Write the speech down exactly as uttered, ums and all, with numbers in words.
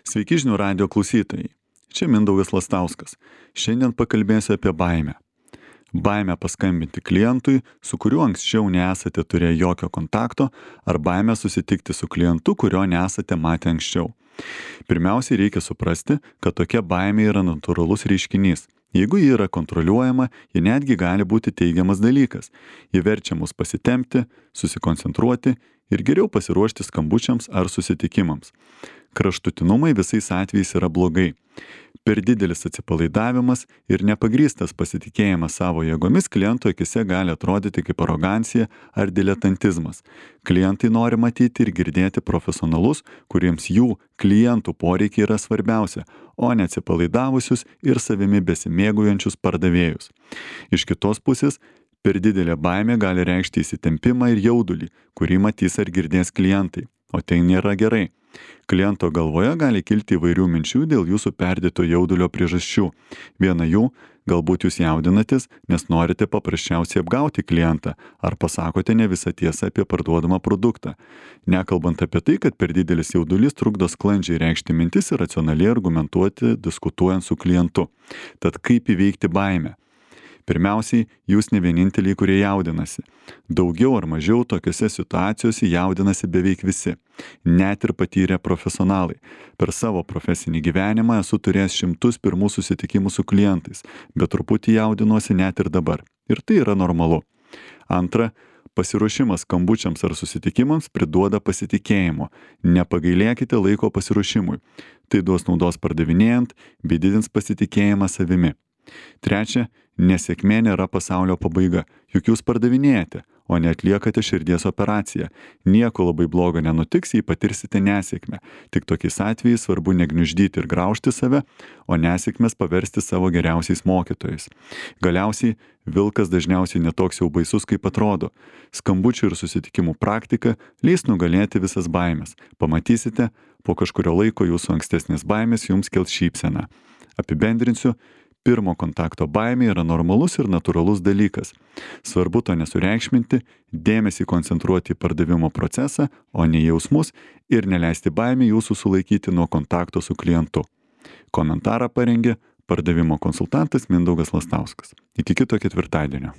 Sveiki žinių radijo klausytojai. Čia Mindaugas Lastauskas. Šiandien pakalbėsiu apie baimę. Baimę paskambinti klientui, su kuriuo anksčiau nesate turėję jokio kontakto, ar baimę susitikti su klientu, kurio nesate matę anksčiau. Pirmiausiai reikia suprasti, kad tokia baimė yra natūralus reiškinys. Jeigu ji yra kontroliuojama, ji netgi gali būti teigiamas dalykas. Ji verčia mus pasitempti, susikoncentruoti ir geriau pasiruošti skambučiams ar susitikimams. Kraštutinumai visais atvejais yra blogai. Per didelis atsipalaidavimas ir nepagrįstas pasitikėjimas savo jėgomis kliento akise gali atrodyti kaip arogancija ar diletantizmas. Klientai nori matyti ir girdėti profesionalus, kuriems jų klientų poreikiai yra svarbiausia, o ne atsipalaidavusius ir savimi besimėgaujančius pardavėjus. Iš kitos pusės, per didelė baimė gali reikšti įsitempimą ir jaudulį, kurį matys ar girdės klientai, o tai nėra gerai. Kliento galvoje gali kilti įvairių minčių dėl jūsų perdėto jaudulio priežasčių. Viena jų, galbūt jūs jaudinatės, nes norite paprasčiausiai apgauti klientą ar pasakote ne visą tiesą apie parduodamą produktą. Nekalbant apie tai, kad per didelis jaudulys trukdo sklandžiai reikšti mintis ir racionaliai argumentuoti, diskutuojant su klientu. Tad kaip įveikti baimę? Pirmiausiai, jūs ne vieninteliai, kurie jaudinasi. Daugiau ar mažiau tokiose situacijose jaudinasi beveik visi, net ir patyrę profesionalai. Per savo profesinį gyvenimą esu turėjęs šimtus pirmų susitikimų su klientais, bet truputį jaudinuosi net ir dabar. Ir tai yra normalu. Antra, pasiruošimas skambučiams ar susitikimams priduoda pasitikėjimo. Nepagailėkite laiko pasiruošimui. Tai duos naudos pardavinėjant bei didins pasitikėjimą savimi. Trečia, nesėkmė nėra pasaulio pabaiga, juk jūs pardavinėjate, o ne atliekate širdies operaciją. Nieko labai blogo nenutiks, jei patirsite nesėkmę. Tik tokiais atvejais svarbu negniuždyti ir graužti save, o nesėkmės paversti savo geriausiais mokytojais. Galiausiai, vilkas dažniausiai netoks jau baisus, kaip atrodo. Skambučių ir susitikimų praktika leis nugalėti visas baimės. Pamatysite, po kažkurio laiko jūsų ankstesnės baimės jums kels šypseną. Apibendrinsiu. Pirmo kontakto baimė yra normalus ir natūralus dalykas. Svarbu to nesureikšminti, dėmesį koncentruoti į pardavimo procesą, o ne jausmus ir neleisti baimė jūsų sulaikyti nuo kontakto su klientu. Komentarą parengė pardavimo konsultantas Mindaugas Lastauskas. Iki kito ketvirtadienio.